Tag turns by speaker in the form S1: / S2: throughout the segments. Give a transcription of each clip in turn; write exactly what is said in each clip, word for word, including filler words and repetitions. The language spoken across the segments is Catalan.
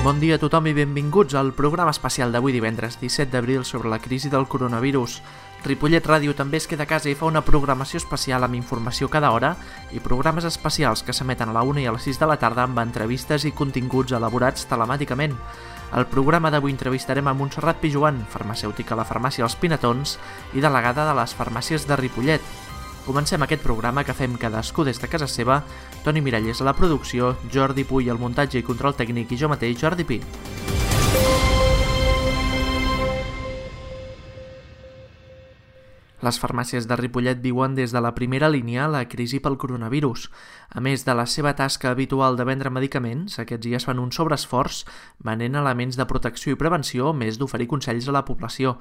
S1: Bon dia a tothom i benvinguts al programa especial d'avui divendres disset d'abril sobre la crisi del coronavirus. Ripollet Ràdio també es queda a casa i fa una programació especial amb informació cada hora i programes especials que s'emeten a la una i a les sis de la tarda amb entrevistes i continguts elaborats telemàticament. Al programa d'avui entrevistarem a Montserrat Pijoan, farmacèutica a la farmàcia Els Pinatons i delegada de les farmàcies de Ripollet. Comencem aquest programa que fem cadascú des de casa seva. Toni Miralles a la producció, Jordi Puy al muntatge i control tècnic i jo mateix, Jordi Pi. Les farmàcies de Ripollet viuen des de la primera línia la crisi pel coronavirus. A més de la seva tasca habitual de vendre medicaments, aquests dies fan un sobreesforç venent elements de protecció i prevenció, a més d'oferir consells a la població.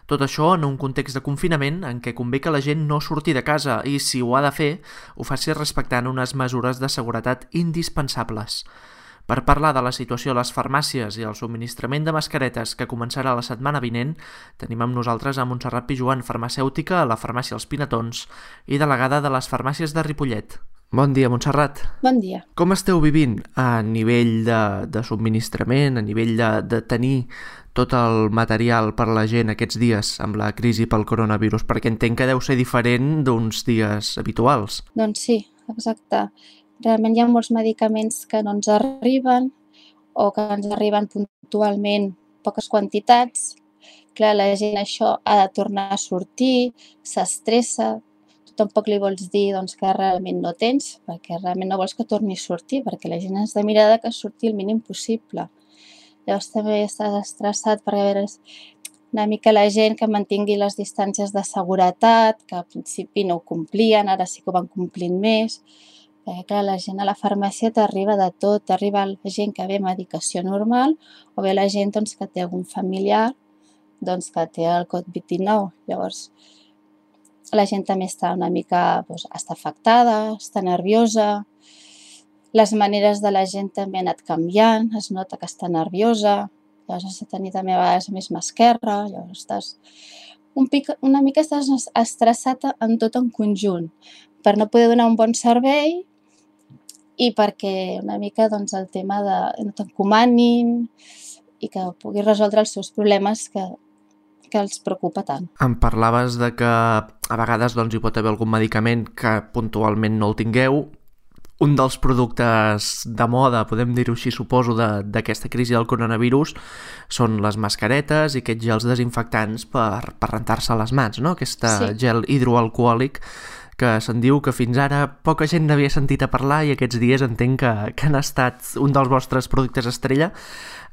S1: Tot això en un context de confinament en què convé que la gent no surti de casa i, si ho ha de fer, ho faci respectant unes mesures de seguretat indispensables. Per parlar de la situació a les farmàcies i el subministrament de mascaretes que començarà la setmana vinent, tenim amb nosaltres a Montserrat Pijoan, farmacèutica a la farmàcia Els Pinatons i delegada de les farmàcies de Ripollet. Bon dia, Montserrat.
S2: Bon dia.
S1: Com esteu vivint a nivell de, de subministrament, a nivell de, de tenir tot el material per a la gent aquests dies amb la crisi pel coronavirus? Perquè entenc que deu ser diferent d'uns dies habituals.
S2: Doncs sí, exacte. Realment hi ha molts medicaments que no ens arriben o que ens arriben puntualment poques quantitats. Clar, la gent això ha de tornar a sortir, s'estressa. Tu tampoc li vols dir doncs, que realment no tens, perquè realment no vols que torni a sortir, perquè la gent has de mirar que surti el mínim possible. Llavors també estàs estressat perquè a veure, una mica la gent que mantingui les distàncies de seguretat, que al principi no ho complien, ara sí que ho van complint més. Perquè clar, la gent a la farmàcia t'arriba de tot, t'arriba la gent que ve medicació normal o bé la gent doncs, que té algun familiar doncs, que té el covid dinou. Llavors, la gent també està una mica doncs, està afectada, està nerviosa, les maneres de la gent també han anat canviant, es nota que està nerviosa, llavors has de tenir també a vegades més mà esquerra, llavors estàs un pic, una mica estàs estressat en tot en conjunt per no poder donar un bon servei i perquè una mica doncs, el tema de no t'encomanin i que puguis resoldre els seus problemes que, que els preocupa tant.
S1: Em parlaves de que a vegades doncs, hi pot haver algun medicament que puntualment no el tingueu. Un dels productes de moda, podem dir-ho així, suposo, d'aquesta crisi del coronavirus són les mascaretes i aquests gels desinfectants per, per rentar-se les mans, no? Aquest sí. Gel hidroalcohòlic que se'n diu que fins ara poca gent n'havia sentit a parlar i aquests dies entenc que, que han estat un dels vostres productes estrella.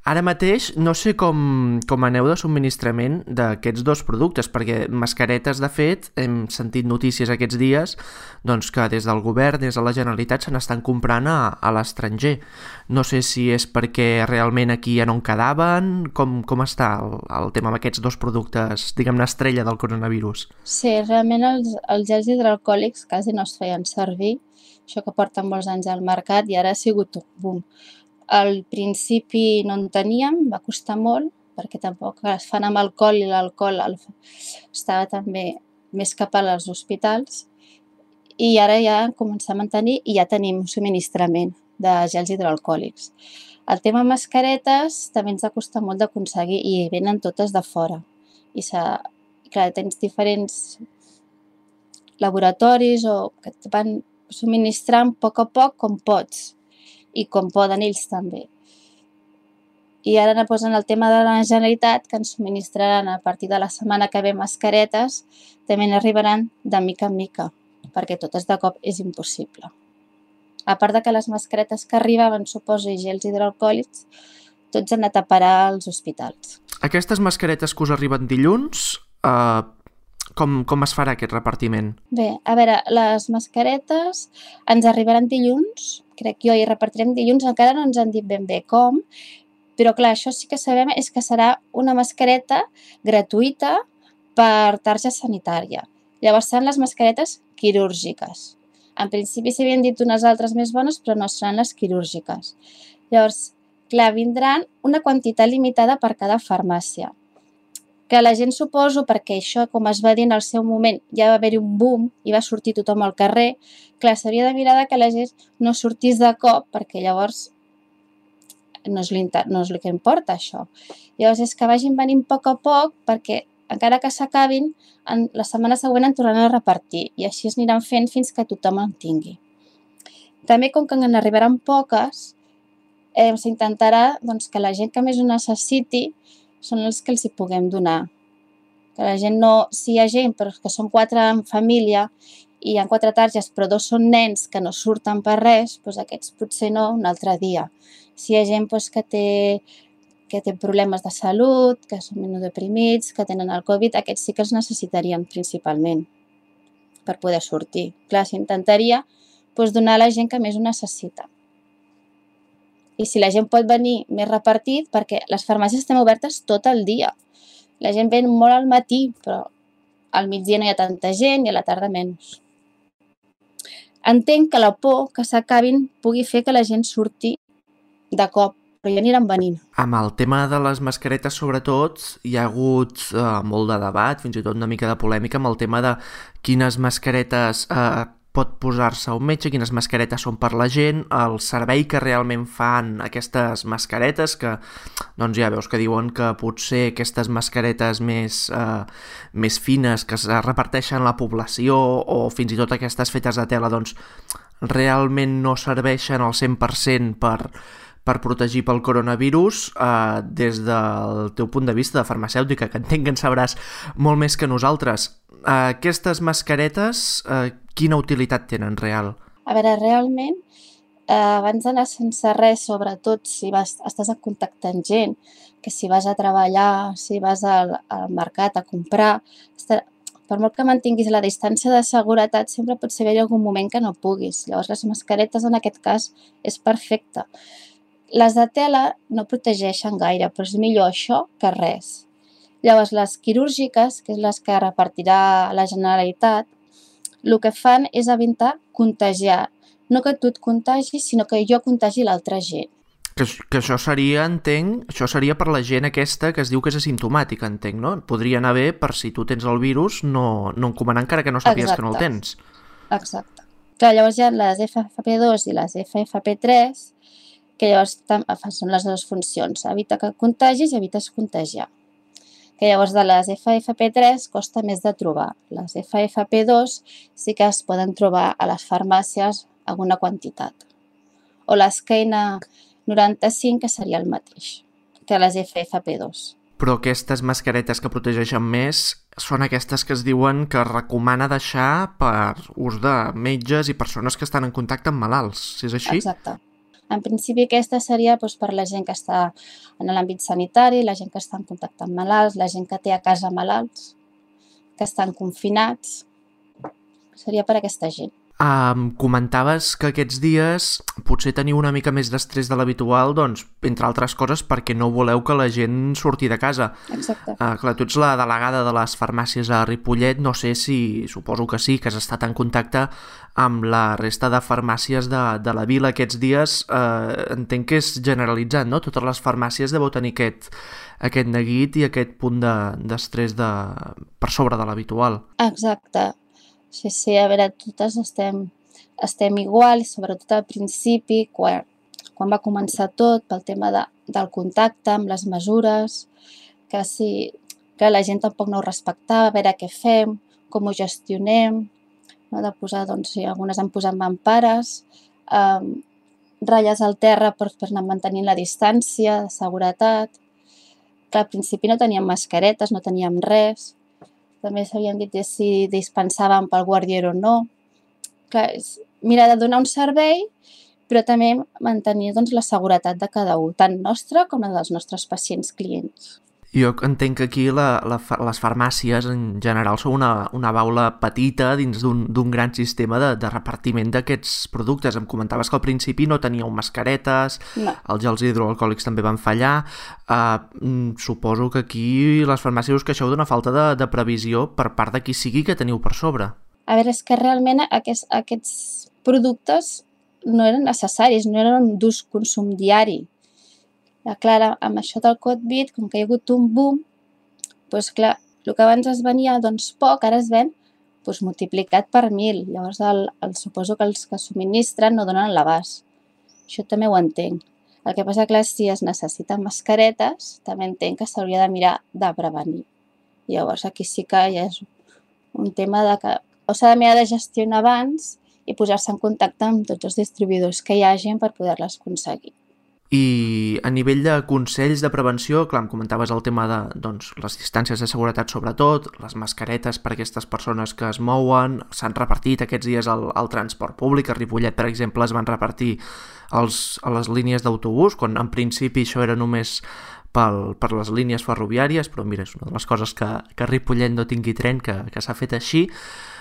S1: Ara mateix no sé com, com aneu de subministrament d'aquests dos productes, perquè mascaretes, de fet, hem sentit notícies aquests dies doncs, que des del govern, des de la Generalitat, se n'estan comprant a, a l'estranger. No sé si és perquè realment aquí ja no en quedaven, com, com està el, el tema amb aquests dos productes, diguem-ne, estrella del coronavirus?
S2: Sí, realment els, els gels hidroalcohòlics quasi no es feien servir, això que porten molts anys al mercat i ara ha sigut un boom. Al principi no en teníem, va costar molt, perquè tampoc es fan amb alcohol i l'alcohol estava també més cap als hospitals i ara ja comencem a tenir i ja tenim subministrament de gels hidroalcohòlics. El tema mascaretes també ens ha costat molt d'aconseguir i venen totes de fora. I clar, tens diferents laboratoris o que et van subministrant a poc a poc com pots. I com poden ells també. I ara no posen el tema de la Generalitat, que ens subministraran a partir de la setmana que ve mascaretes, també n'arribaran de mica en mica, perquè totes de cop és impossible. A part de que les mascaretes que arribaven, suposo, i gels hidroalcohòlics, tots han anat a parar als hospitals.
S1: Aquestes mascaretes que us arriben dilluns, eh, com, com es farà aquest repartiment?
S2: Bé, a veure, les mascaretes ens arribaran dilluns, crec jo, i repartirem dilluns, encara no ens han dit ben bé com, però clar, això sí que sabem és que serà una mascareta gratuïta per tarja sanitària. Llavors seran les mascaretes quirúrgiques. En principi s'havien dit unes altres més bones, però no seran les quirúrgiques. Llavors, clar, vindran una quantitat limitada per cada farmàcia. Que la gent, suposo, perquè això, com es va dir en el seu moment, ja va haver-hi un boom i va sortir tothom al carrer, clar, s'havia de mirar que la gent no sortís de cop, perquè llavors no és, no és el que importa, això. Llavors és que vagin venint a poc a poc perquè encara que s'acabin, la setmana següent en tornaran a repartir i així es aniran fent fins que tothom en tingui. També, com que en arribaran poques, eh, s'intentarà doncs, que la gent que més ho necessiti són els que els hi puguem donar. Que la gent no, si hi ha gent però que són quatre en família i hi ha quatre targes però dos són nens que no surten per res, doncs aquests potser no un altre dia. Si hi ha gent doncs, que té que té problemes de salut, que són immunodeprimits, que tenen el Covid, aquests sí que els necessitarien principalment per poder sortir. Clar, s'intentaria doncs, donar a la gent que més ho necessita. I si la gent pot venir més repartit, perquè les farmàcies estan obertes tot el dia. La gent ven molt al matí, però al migdia no hi ha tanta gent i a la tarda menys. Entenc que la por que s'acabin pugui fer que la gent surti de cop, però ja aniran venint.
S1: Amb el tema de les mascaretes, sobretot, hi ha hagut eh, molt de debat, fins i tot una mica de polèmica amb el tema de quines mascaretes eh, pot posar-se un metge, quines mascaretes són per la gent, el servei que realment fan aquestes mascaretes, que doncs ja veus que diuen que potser aquestes mascaretes més, eh, més fines que es reparteixen a la població o fins i tot aquestes fetes de tela doncs realment no serveixen al cent per cent per per protegir pel coronavirus. Eh, des del teu punt de vista de farmacèutica, que entenc que en sabràs molt més que nosaltres, eh, aquestes mascaretes, eh, quina utilitat tenen real?
S2: A veure, realment, eh, abans d'anar sense res, sobretot si vas, estàs en contacte amb gent, que si vas a treballar, si vas al, al mercat a comprar, estar, per molt que mantinguis la distància de seguretat, sempre pot ser haver algun moment que no puguis. Llavors, les mascaretes, en aquest cas, és perfecte. Les de tela no protegeixen gaire, però és millor això que res. Llavors, les quirúrgiques, que és les que repartirà la Generalitat, el que fan és evitar contagiar. No que tu et contagis, sinó que jo contagi l'altra gent.
S1: Que, que això seria, entenc, això seria per la gent aquesta que es diu que és asimptomàtica, entenc, no? Podria anar bé per si tu tens el virus no, no encomanar encara que no sàpigues que no el tens.
S2: Exacte. Clar, llavors hi ha les F F P dos i les F F P tres, que llavors són les dues funcions, evita que contagis i evites contagiar. Que llavors de les F F P tres costa més de trobar. Les F F P dos sí que es poden trobar a les farmàcies alguna quantitat. O les K N noranta-cinc, que seria el mateix que les F F P dos.
S1: Però aquestes mascaretes que protegeixen més són aquestes que es diuen que recomana deixar per ús de metges i persones que estan en contacte amb malalts, si és així?
S2: Exacte. En principi aquesta seria doncs, per la gent que està en l'àmbit sanitari, la gent que està en contacte amb malalts, la gent que té a casa malalts, que estan confinats, seria per aquesta gent.
S1: Um, comentaves que aquests dies potser teniu una mica més d'estrès de l'habitual, doncs, entre altres coses, perquè no voleu que la gent surti de casa.
S2: Exacte.
S1: Uh, clar, tu ets la delegada de les farmàcies a Ripollet, no sé si, suposo que sí, que has estat en contacte amb la resta de farmàcies de, de la vila aquests dies. Uh, entenc que és generalitzat, no? Totes les farmàcies deveu tenir aquest, aquest neguit i aquest punt d'estrès de, per sobre de l'habitual.
S2: Exacte. Sí, sí, a veure, totes estem, estem igual, sobretot al principi, quan, quan va començar tot, pel tema de, del contacte amb les mesures, que, si, que la gent tampoc no ho respectava, a veure què fem, com ho gestionem, no? De posar, doncs, sí, algunes han posat mampares, eh, ratlles al terra per, per anar mantenint la distància, de seguretat, que al principi no teníem mascaretes, no teníem res. També s'havien dit si dispensàvem pel guardier o no. Clar, és mirar de donar un servei, però també mantenir doncs, la seguretat de cada un, tant nostra com la dels nostres pacients clients.
S1: Jo entenc que aquí la, la, les farmàcies en general són una, una baula petita dins d'un gran sistema de, de repartiment d'aquests productes. Em comentaves que al principi no teníeu mascaretes,
S2: no.
S1: Els gels hidroalcohòlics també van fallar. Uh, suposo que aquí les farmàcies us queixeu d'una falta de, de previsió per part de qui sigui que teniu per sobre.
S2: A veure, és que realment aquests, aquests productes no eren necessaris, no eren d'ús consum diari. Clar, amb això del Covid, com que hi ha hagut un boom, doncs clar, el que abans es venia doncs, poc, ara es ven doncs, multiplicat per mil. Llavors, el, el, suposo que els que subministren no donen l'abast. Això també ho entenc. El que passa, clar, si es necessiten mascaretes, també entenc que s'hauria de mirar de prevenir. Llavors, aquí sí que ja és un tema de que o s'ha de mirar de gestionar abans i posar-se en contacte amb tots els distribuïdors que hi hagin per poder-les aconseguir.
S1: I a nivell de consells de prevenció, clar, em comentaves el tema de doncs, les distàncies de seguretat sobretot, les mascaretes per a aquestes persones que es mouen, s'han repartit aquests dies al, al transport públic, a Ripollet, per exemple, es van repartir els, a les línies d'autobús, quan en principi això era només pel, per les línies ferroviàries, però mira, és una de les coses que, que Ripollet no tingui tren, que, que s'ha fet així.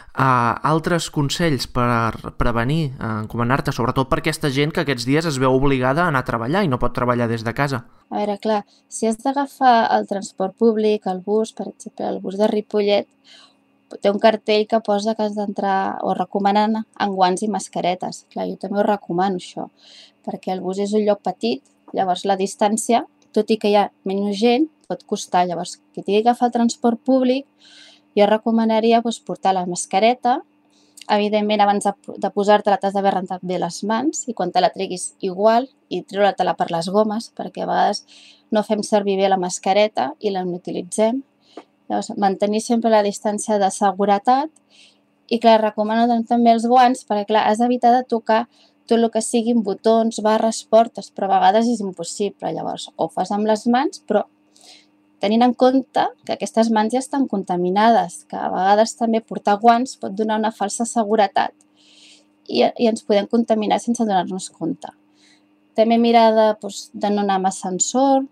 S1: Uh, altres consells per prevenir, uh, encomanar-te, sobretot per aquesta gent que aquests dies es veu obligada a anar a treballar i no pot treballar des de casa.
S2: A veure, clar, si has d'agafar el transport públic, el bus, per exemple, el bus de Ripollet, té un cartell que posa que has d'entrar o recomanen amb guants i mascaretes. Clar, jo també ho recomano, això, perquè el bus és un lloc petit, llavors la distància, tot i que hi ha menys gent, pot costar. Llavors, qui tingui que agafar el transport públic, jo recomanaria doncs, portar la mascareta. Evidentment, abans de, de posar-te-la t'has d'haver rentat bé les mans i quan te la treguis igual i treure-te-la per les gomes, perquè a vegades no fem servir bé la mascareta i la n'utilitzem. Llavors, mantenir sempre la distància de seguretat i, clar, recomano també els guants perquè, clar, has d'evitar de tocar tot el que siguin botons, barres, portes, però a vegades és impossible. Llavors, ho fas amb les mans, però tenint en compte que aquestes mans ja estan contaminades, que a vegades també portar guants pot donar una falsa seguretat i, i ens podem contaminar sense donar-nos compte. També mirar de, doncs, de no anar amb ascensor,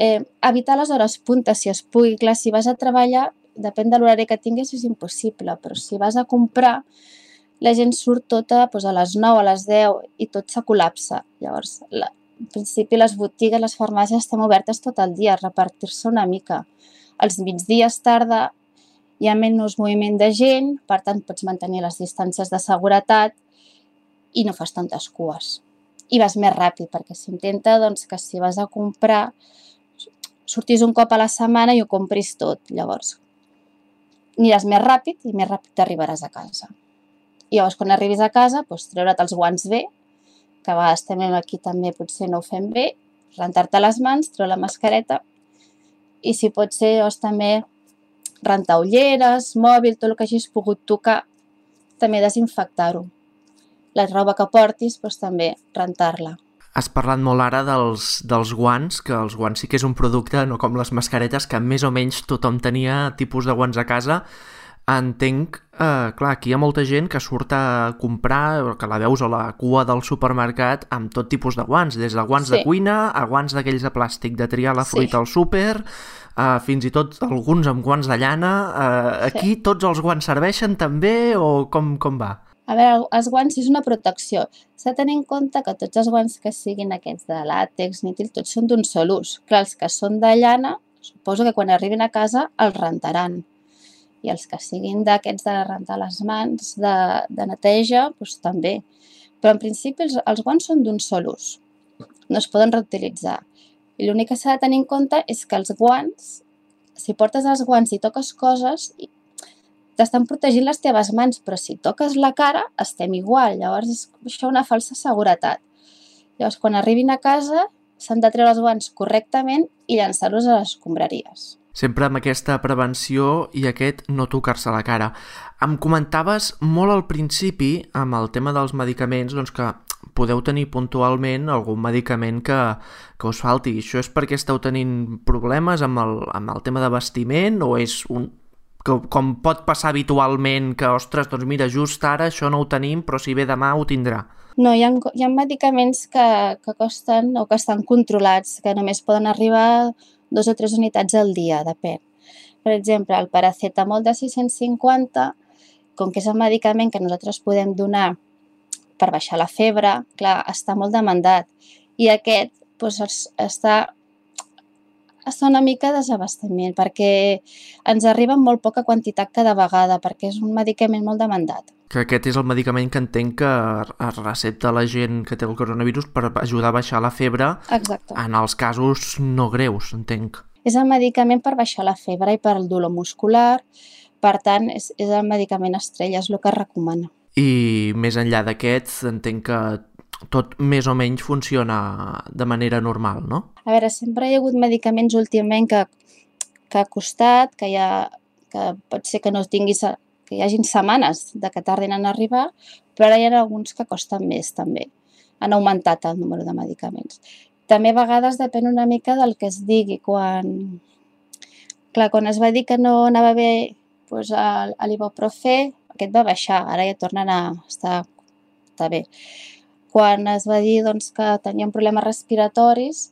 S2: eh, evitar les hores punta si es pugui. Clar, si vas a treballar, depèn de l'horari que tinguis, és impossible, però si vas a comprar, la gent surt tota doncs, a les nou, a les deu i tot se col·lapsa. Llavors, la, en principi les botigues, les farmàcies estan obertes tot el dia, repartir-se una mica. Als migdies tarda hi ha menys moviment de gent, per tant pots mantenir les distàncies de seguretat i no fas tantes cues. I vas més ràpid, perquè s'intenta doncs, que si vas a comprar sortis un cop a la setmana i ho compris tot. Llavors, aniràs més ràpid i més ràpid t'arribaràs a casa. I llavors, quan arribis a casa, doncs, treure't els guants bé, que a vegades també aquí també potser no ho fem bé, rentar-te les mans, treure la mascareta i si pot ser doncs, també rentar ulleres, mòbil, tot el que hagis pogut tocar, també desinfectar-ho. La roba que portis, doncs, també rentar-la.
S1: Has parlat molt ara dels, dels guants, que els guants sí que és un producte, no com les mascaretes, que més o menys tothom tenia tipus de guants a casa. Entenc, eh, clar, aquí hi ha molta gent que surt a comprar, que la veus a la cua del supermercat amb tot tipus de guants, des de guants sí. de cuina a guants d'aquells de plàstic, de triar la fruita sí. al súper, eh, fins i tot alguns amb guants de llana. Eh, aquí sí. tots els guants serveixen també o com, com va?
S2: A veure, els guants és una protecció. S'ha de tenir en compte que tots els guants que siguin aquests de làtex, nítil, tots són d'un sol ús. Clar, els que són de llana, suposo que quan arribin a casa els rentaran. I els que siguin d'aquests de rentar les mans, de, de neteja, doncs també. Però en principi els, els guants són d'un sol ús, no es poden reutilitzar. I l'únic que s'ha de tenir en compte és que els guants, si portes els guants i toques coses, t'estan protegint les teves mans, però si toques la cara estem igual, llavors és això una falsa seguretat. Llavors quan arribin a casa s'han de treure els guants correctament i llançar-los a les escombraries.
S1: Sempre amb aquesta prevenció i aquest no tocar-se la cara. Em comentaves molt al principi, amb el tema dels medicaments, doncs que podeu tenir puntualment algun medicament que, que us falti. Això és perquè esteu tenint problemes amb el, amb el tema de vestiment o és un que, com pot passar habitualment que, ostres, doncs mira, just ara això no ho tenim, però si ve demà ho tindrà?
S2: No, hi ha, hi ha medicaments que, que costen o que estan controlats, que només poden arribar dos o tres unitats al dia, depèn. Per exemple, el paracetamol de sis-cents cinquanta, com que és el medicament que nosaltres podem donar per baixar la febre, clar, està molt demandat. I aquest doncs, està, està una mica desabastament, perquè ens arriba en molt poca quantitat cada vegada, perquè és un medicament molt demandat.
S1: Que aquest és el medicament que entenc que es recepta la gent que té el coronavirus per ajudar a baixar la febre.
S2: Exacte.
S1: En els casos no greus, entenc.
S2: És el medicament per baixar la febre i per el dolor muscular, per tant, és, és el medicament estrella, és el que es recomana.
S1: i més enllà d'aquests entenc que tot més o menys funciona de manera normal, no?
S2: A veure, sempre hi ha hagut medicaments últimament que, que ha costat, que, hi ha, que pot ser que no tinguis, que hi hagin setmanes de que tardin en arribar, però ara hi ha alguns que costen més també. Han augmentat el número de medicaments. També a vegades depèn una mica del que es digui. Quan, clar, quan es va dir que no anava bé doncs, l'ibuprofè, aquest va baixar, ara ja tornen a estar, estar bé. Quan es va dir doncs, que tenien problemes respiratoris,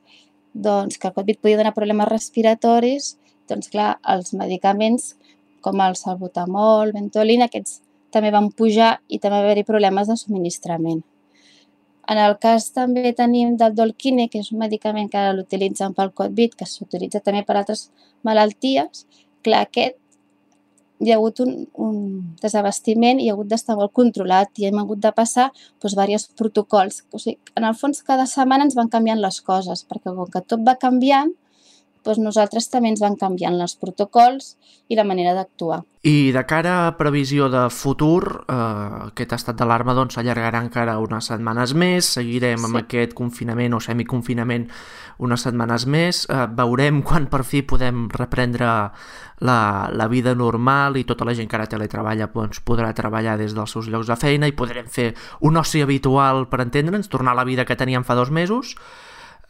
S2: doncs, que el Covid podia donar problemes respiratoris, doncs clar, els medicaments com el salbutamol, Ventolin, aquests també van pujar i també va haver-hi problemes de subministrament. En el cas també tenim del Dolquine, que és un medicament que ara l'utilitzen pel Covid, que s'utilitza també per altres malalties, clar, aquest hi ha hagut un, un desabastiment i ha hagut d'estar molt controlat i hem hagut de passar doncs, diversos protocols. O sigui, en el fons, cada setmana ens van canviant les coses, perquè com que tot va canviant, doncs nosaltres també ens van canviant els protocols i la manera d'actuar.
S1: I de cara a previsió de futur, eh, aquest estat d'alarma doncs, s'allargarà encara unes setmanes més, seguirem sí. amb aquest confinament o semiconfinament unes setmanes més, eh, veurem quan per fi podem reprendre la, la vida normal i tota la gent que ara teletreballa doncs, podrà treballar des dels seus llocs de feina i podrem fer un oci habitual, per entendre'ns, tornar a la vida que teníem fa dos mesos.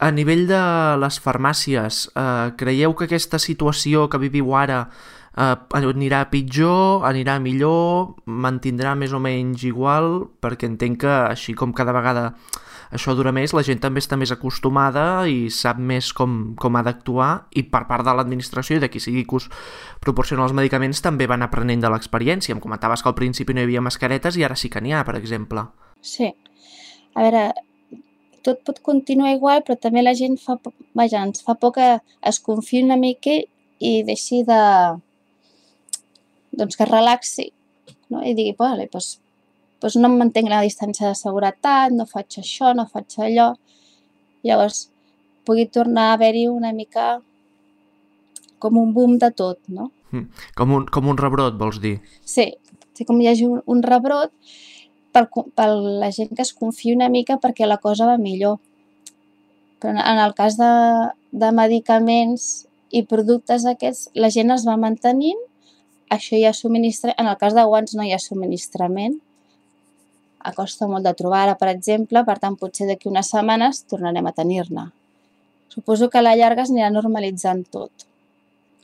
S1: A nivell de les farmàcies, eh, creieu que aquesta situació que viviu ara eh, anirà pitjor, anirà millor, mantindrà més o menys igual? Perquè entenc que així com cada vegada això dura més, la gent també està més acostumada i sap més com, com ha d'actuar i per part de l'administració i de qui sigui que us proporciona els medicaments també van aprenent de l'experiència. Em comentaves que al principi no hi havia mascaretes i ara sí que n'hi ha, per exemple.
S2: Sí. A veure, tot pot continuar igual, però també la gent fa, vaja, ens fa por que es confiï una mica i deixi de... doncs que es relaxi, no? I digui, vale, doncs, doncs no em mantenc la distància de seguretat, no faig això, no faig allò. Llavors, pugui tornar a haver-hi una mica com un boom de tot, no?
S1: Mm. Com un, com un rebrot, vols dir?
S2: Sí, sí, com hi hagi un, un rebrot per, per la gent que es confiï una mica perquè la cosa va millor. Però en el cas de, de medicaments i productes aquests, la gent es va mantenint, això hi ha subministrament, en el cas de guants no hi ha subministrament, costa molt de trobar ara, per exemple, per tant, potser d'aquí unes setmanes tornarem a tenir-ne. Suposo que a la llarga es anirà normalitzant tot.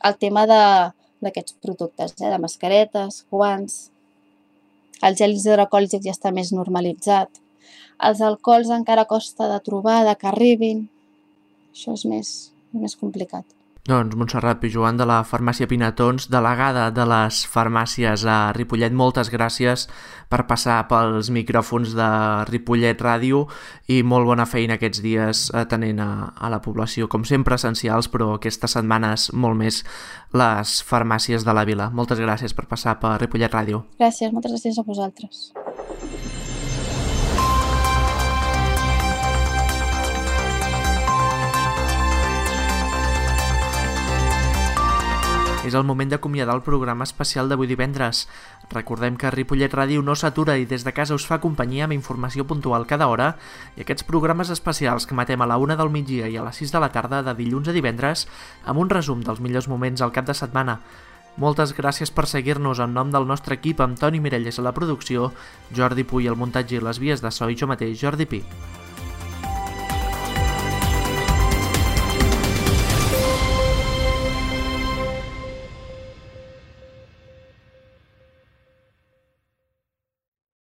S2: El tema d'aquests productes, eh, de mascaretes, guants, els gels hidroalcohòlics ja està més normalitzat. Els alcohols encara costa de trobar, de que arribin. Això és més, més complicat.
S1: Doncs Montserrat Pijoan de la farmàcia Pinatons, delegada de les farmàcies a Ripollet, moltes gràcies per passar pels micròfons de Ripollet Ràdio i molt bona feina aquests dies atenent a, a la població, com sempre essencials, però aquestes setmanes molt més les farmàcies de la vila. Moltes gràcies per passar per Ripollet Ràdio.
S2: Gràcies, moltes gràcies a vosaltres.
S1: És el moment d'acomiadar el programa especial d'avui divendres. Recordem que Ripollet Ràdio no s'atura i des de casa us fa companyia amb informació puntual cada hora i aquests programes especials que matem a la una del migdia i a les sis de la tarda de dilluns a divendres amb un resum dels millors moments al cap de setmana. Moltes gràcies per seguir-nos en nom del nostre equip amb Toni Mirelles a la producció, Jordi Puy al muntatge i les vies de so i jo mateix, Jordi Pi.